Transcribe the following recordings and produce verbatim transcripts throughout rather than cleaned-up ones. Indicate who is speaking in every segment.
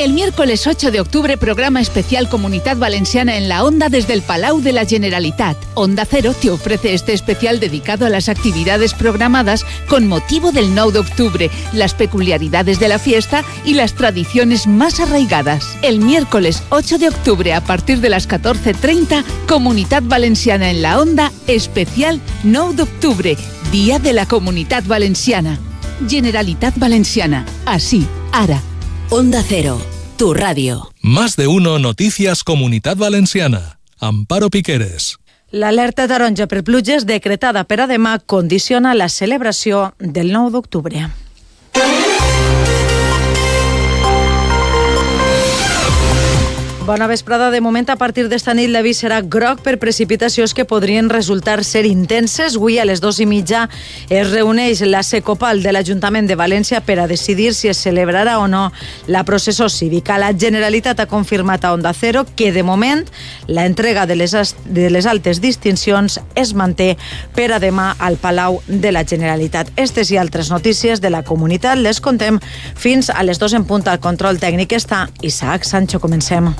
Speaker 1: El miércoles ocho de octubre, programa especial Comunidad Valenciana en la Onda desde el Palau de la Generalitat. Onda Cero te ofrece este especial dedicado a las actividades programadas con motivo del nueve de octubre, las peculiaridades de la fiesta y las tradiciones más arraigadas. El miércoles ocho de octubre, a partir de las catorce treinta, Comunidad Valenciana en la Onda, especial nueve de octubre, Día de la Comunidad Valenciana. Generalitat Valenciana. Así, ara.
Speaker 2: Onda Cero, tu radio.
Speaker 3: Más de uno Noticias Comunidad Valenciana. Amparo Piqueres.
Speaker 4: L'alerta taronja per pluges decretada per a demà condiciona la celebració del nou d'octubre. Bona vesprada. De moment, a partir d'esta nit, l'avís serà groc per precipitacions que podrien resultar ser intenses. Avui, a les dues i mitja, es reuneix la Secopal de l'Ajuntament de València per a decidir si es celebrarà o no la processó cívica. La Generalitat ha confirmat a Onda Cero que, de moment, la entrega de les, de les altes distincions es manté per a demà al Palau de la Generalitat. Estes i altres notícies de la comunitat les contem fins a les dues en punt. Al control tècnic està Isaac Sancho. Comencem.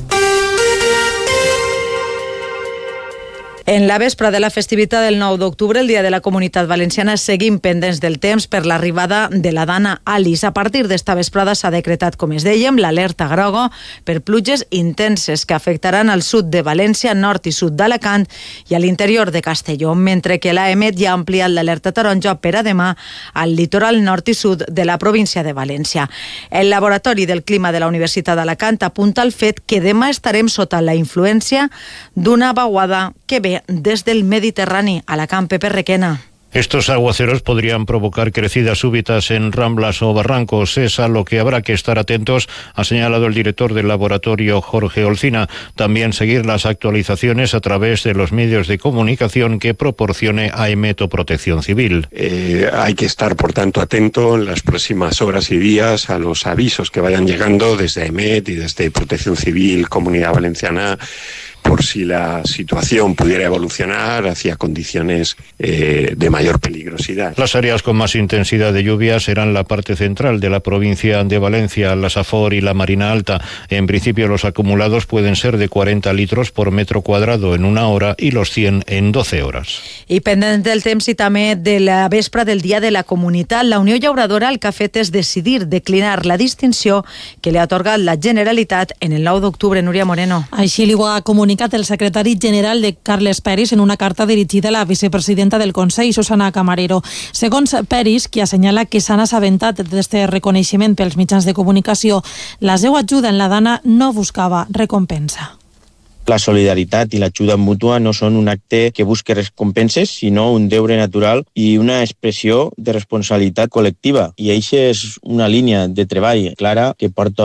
Speaker 4: En la vespra de la festivitat del nou d'octubre, el Dia de la Comunitat Valenciana, seguim pendents del temps per l'arribada de la Dana Alice. A partir d'esta vesprada s'ha decretat, com es dèiem, l'alerta groga per pluges intenses que afectaran al sud de València, nord i sud d'Alacant i a l'interior de Castelló, mentre que l'A E M E T ja ha ampliat l'alerta taronja per a demà al litoral nord i sud de la província de València. El Laboratori del Clima de la Universitat d'Alacant apunta al fet que demà estarem sota la influència d'una vaguada que ve desde el Mediterráneo. A la Campe Perrequena.
Speaker 5: Estos aguaceros podrían provocar crecidas súbitas en ramblas o barrancos. Es a lo que habrá que estar atentos, ha señalado el director del laboratorio, Jorge Olcina. También seguir las actualizaciones a través de los medios de comunicación que proporcione A E M E T o Protección Civil.
Speaker 6: Eh, hay que estar, por tanto, atento en las próximas horas y días a los avisos que vayan llegando desde A E M E T y desde Protección Civil, Comunidad Valenciana, por si la situación pudiera evolucionar hacia condiciones eh, de mayor peligrosidad.
Speaker 5: Las áreas con más intensidad de lluvia serán la parte central de la provincia de Valencia, la Safor y la Marina Alta. En principio, los acumulados pueden ser de cuarenta litros por metro cuadrado en una hora y los cien en doce horas.
Speaker 4: I pendent del temps i també de la vespra del Dia de la Comunitat, la Unió Llauradora el que ha fet és decidir declinar la distinció que li ha atorgat la Generalitat en el nou d'octubre. Núria Moreno.
Speaker 7: Així li ho ha comunicat el secretari general de Carles Peris en una carta dirigida a la vicepresidenta del Consell, Susana Camarero. Segons Peris, qui assenyala que s'han assabentat d'aquest reconeixement pels mitjans de comunicació, la seva ajuda en la Dana no buscava recompensa.
Speaker 8: La solidaritat i l'ajuda mútua no són un acte que busque recompenses, sinó un deure natural i una expressió de responsabilitat col·lectiva. I això és una línia de treball clara que porta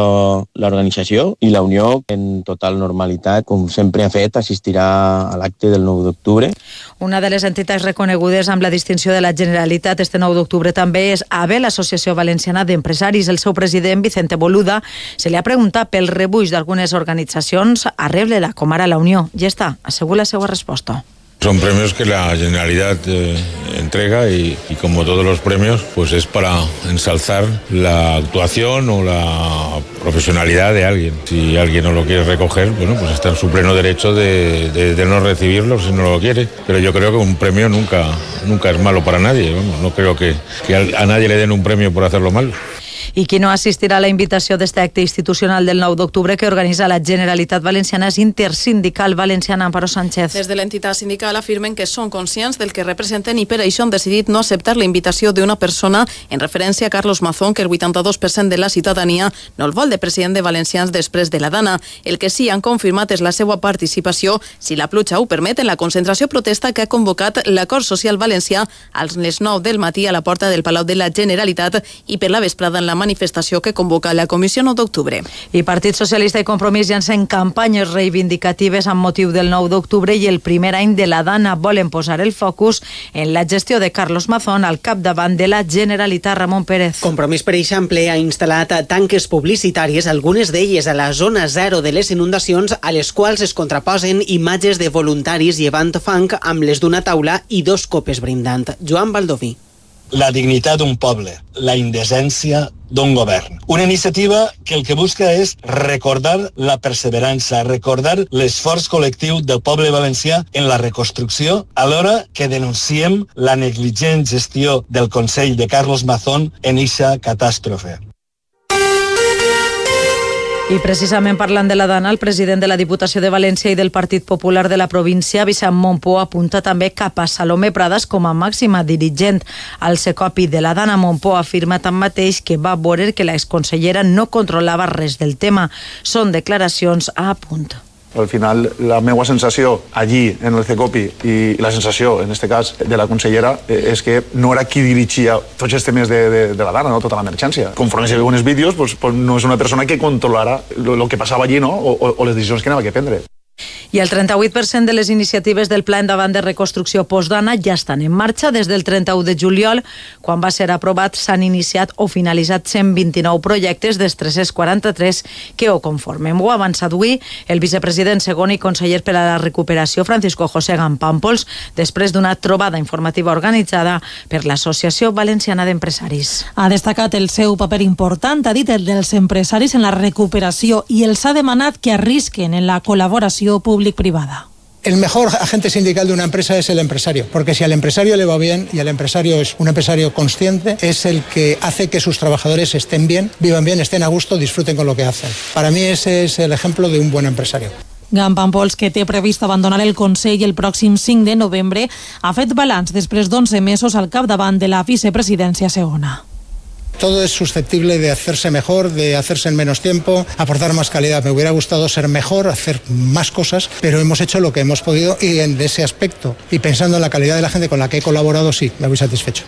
Speaker 8: l'organització i la Unió en total normalitat, com sempre ha fet, assistirà a l'acte del nou d'octubre.
Speaker 4: Una de les entitats reconegudes amb la distinció de la Generalitat este nou d'octubre també és A B E, l'Associació Valenciana d'Empresaris. El seu president, Vicente Boluda, se li ha preguntat pel rebuig d'algunes organitzacions a rebre la com ara la Unió. Ja està, assegura la seva resposta.
Speaker 9: Son premios que la Generalitat eh, entrega y, y como todos los premios, pues es para ensalzar la actuación o la profesionalidad de alguien. Si alguien no lo quiere recoger, bueno, pues está en su pleno derecho de, de, de no recibirlo si no lo quiere. Pero yo creo que un premio nunca, nunca es malo para nadie. Vamos, no creo que, que a, a nadie le den un premio por hacerlo mal.
Speaker 4: I qui no assistirà a la invitació d'este acte institucional del nou d'octubre que organitza la Generalitat Valenciana és Intersindical Valenciana. Amparo Sánchez.
Speaker 10: Des de l'entitat sindical afirmen que són conscients del que representen i per això han decidit no acceptar la invitació d'una persona en referència a Carlos Mazón, que el vuitanta-dos per cent de la ciutadania no el vol de president de Valencians després de la Dana. El que sí han confirmat és la seva participació, si la pluja ho permet, en la concentració protesta que ha convocat l'Acord Social Valencià a les nou del matí a la porta del Palau de la Generalitat i per la vesprada en la manifestació que convoca la Comissió nou d'octubre.
Speaker 4: I Partit Socialista i Compromís llancen campanyes reivindicatives amb motiu del nou d'octubre i el primer any de la Dana. Volen posar el focus en la gestió de Carlos Mazón al capdavant de la Generalitat. Ramon Pérez.
Speaker 11: Compromís, per exemple, ha instal·lat tanques publicitàries, algunes d'elles a la zona zero de les inundacions, a les quals es contraposen imatges de voluntaris llevant fang amb les d'una taula i dos copes brindant. Joan Baldoví.
Speaker 12: la dignitat d'un poble, la indecència d'un govern. Una iniciativa que el que busca és recordar la perseverança, recordar l'esforç col·lectiu del poble valencià en la reconstrucció, alhora que denunciem la negligent gestió del Consell de Carlos Mazón en eixa catàstrofe.
Speaker 4: I precisament parlant de la Dana, el president de la Diputació de València i del Partit Popular de la província, Vicent Montpó, apunta també cap a Salomé Pradas com a màxima dirigent. Al Secopi de la Dana, Montpó afirma tanmateix que va veure que l'exconsellera no controlava res del tema. Són declaracions a punt.
Speaker 13: Al final, la meva sensació allí, en el Secopi, i la sensació, en aquest cas, de la consellera, és que no era qui dirigia tots els temes de, de, de la Dana, no? Tota l'emergència. Conforme se veuen els vídeos, pues, pues no és una persona que controlara el que passava allí, no? o, o les decisions que anava a prendre.
Speaker 4: I el trenta-vuit per cent de les iniciatives del Pla Endavant de Reconstrucció Postdana ja estan en marxa. Des del trenta-u de juliol, quan va ser aprovat, s'han iniciat o finalitzat cent vint-i-nou projectes dels tres-cents quaranta-tres que ho conformen. Ho ha avançat avui el vicepresident segon i conseller per a la recuperació, Francisco José Gampàmpols, després d'una trobada informativa organitzada per l'Associació Valenciana d'Empresaris.
Speaker 7: Ha destacat el seu paper important, ha dit el dels empresaris en la recuperació, i els ha demanat que arrisquen en la col·laboració públic-privada.
Speaker 14: El mejor agente sindical de una empresa es el empresario, porque si al empresario le va bien y el empresario es un empresario consciente, es el que hace que sus trabajadores estén bien, vivan bien, estén a gusto, disfruten con lo que hacen. Para mí ese es el ejemplo de un buen empresario.
Speaker 7: Gampàmpols, que té previst abandonar el Consell el pròxim cinc de novembre, ha fet balanç després d'onze mesos al capdavant de la vicepresidència segona.
Speaker 14: Todo es susceptible de hacerse mejor, de hacerse en menos tiempo, aportar más calidad. Me hubiera gustado ser mejor, hacer más cosas, pero hemos hecho lo que hemos podido y en ese aspecto, y pensando en la calidad de la gente con la que he colaborado, sí, me voy satisfecho.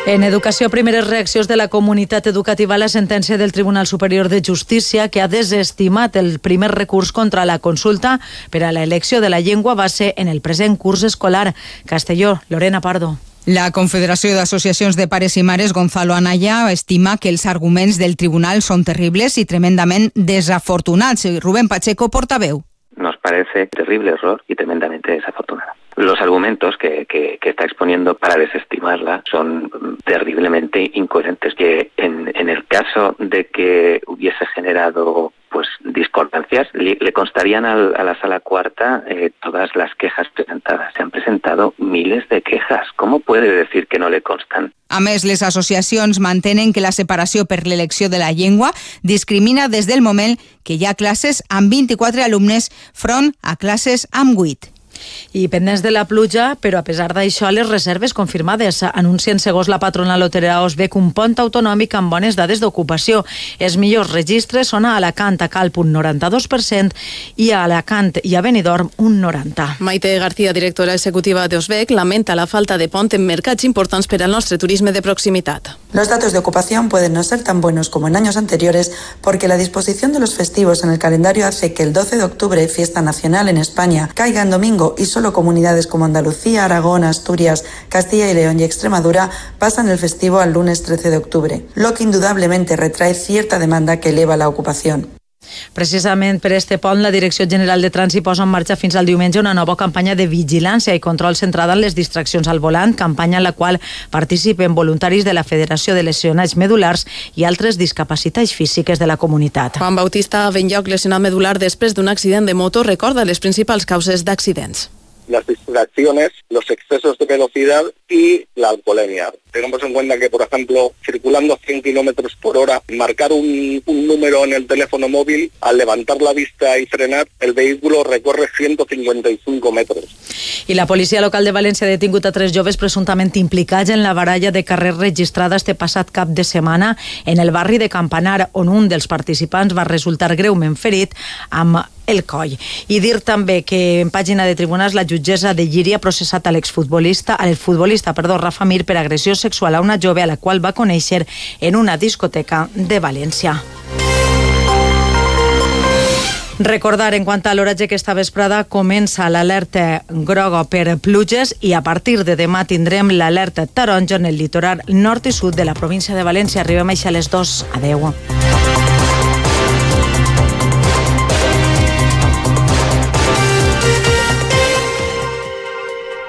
Speaker 4: En educació, primeres reaccions de la comunitat educativa a la sentència del Tribunal Superior de Justícia, que ha desestimat el primer recurs contra la consulta per a l'elecció de la llengua base en el present curs escolar. Castelló, Lorena Pardo.
Speaker 15: La Confederació d'Associacions de Pares i Mares, Gonzalo Anaya, estima que els arguments del tribunal són terribles i tremendament desafortunats. Rubén Pacheco, portaveu.
Speaker 16: Nos parece terrible error y tremendamente desafortunada. Los argumentos que, que, que está exponiendo para desestimarla son terriblemente incoherentes, que en, en el caso de que hubiese generado pues discordancias, le, le constarían al, a la sala cuarta eh, todas las quejas presentadas. Se han presentado miles de quejas. ¿Cómo puede decir que no le constan?
Speaker 15: A més, les associacions mantenen que la separació per l'elecció de la llengua discrimina des del moment que hi ha classes amb vint-i-quatre alumnes front a classes amb vuit.
Speaker 4: I pendents de la pluja, però a pesar d'això, les reserves confirmades anuncien, segons la patronal hotelera Osbec, un pont autonòmic amb bones dades d'ocupació. Els millors registres són a Alacant, a Calp, un noranta-dos per cent, i a Alacant i a Benidorm, un noranta per cent.
Speaker 10: Maite García, directora executiva de Osbec, lamenta la falta de pont en mercats importants per al nostre turisme de proximitat.
Speaker 17: Los datos de ocupación pueden no ser tan buenos como en años anteriores porque la disposición de los festivos en el calendario hace que el doce de octubre, fiesta nacional en España, caiga en domingo y solo comunidades como Andalucía, Aragón, Asturias, Castilla y León y Extremadura pasan el festivo al lunes trece de octubre, lo que indudablemente retrae cierta demanda que eleva la ocupación.
Speaker 4: Precisament per este pont, la Direcció General de Trànsit posa en marxa fins al diumenge una nova campanya de vigilància i control centrada en les distraccions al volant, campanya en la qual participen voluntaris de la Federació de Lesionats Medulars i altres discapacitats físiques de la comunitat.
Speaker 10: Juan Bautista Benlloc, lesionat medular després d'un accident de moto, recorda les principals causes d'accidents.
Speaker 18: Las distracciones, los excesos de velocidad y la alcoholemia. Tengamos en cuenta que, por ejemplo, circulando a cien kilómetros por hora, marcar un, un número en el teléfono móvil, al levantar la vista y frenar, el vehículo recorre ciento cincuenta y cinco metros.
Speaker 4: I la policia local de València ha detingut a tres joves presumptament implicats en la baralla de carrers registrada este passat cap de setmana en el barri de Campanar, on un dels participants va resultar greument ferit amb el coll. I dir també que en pàgina de tribunals la jutgessa de Llíria ha processat a l'exfutbolista, al futbolista, perdó, Rafa Mir, per agressió sexual a una jove a la qual va conèixer en una discoteca de València. Recordar, en quant a l'horatge, que esta vesprada comença l'alerta groga per pluges i a partir de demà tindrem l'alerta taronja en el litoral nord i sud de la província de València. Arribem a les dos. Adeu.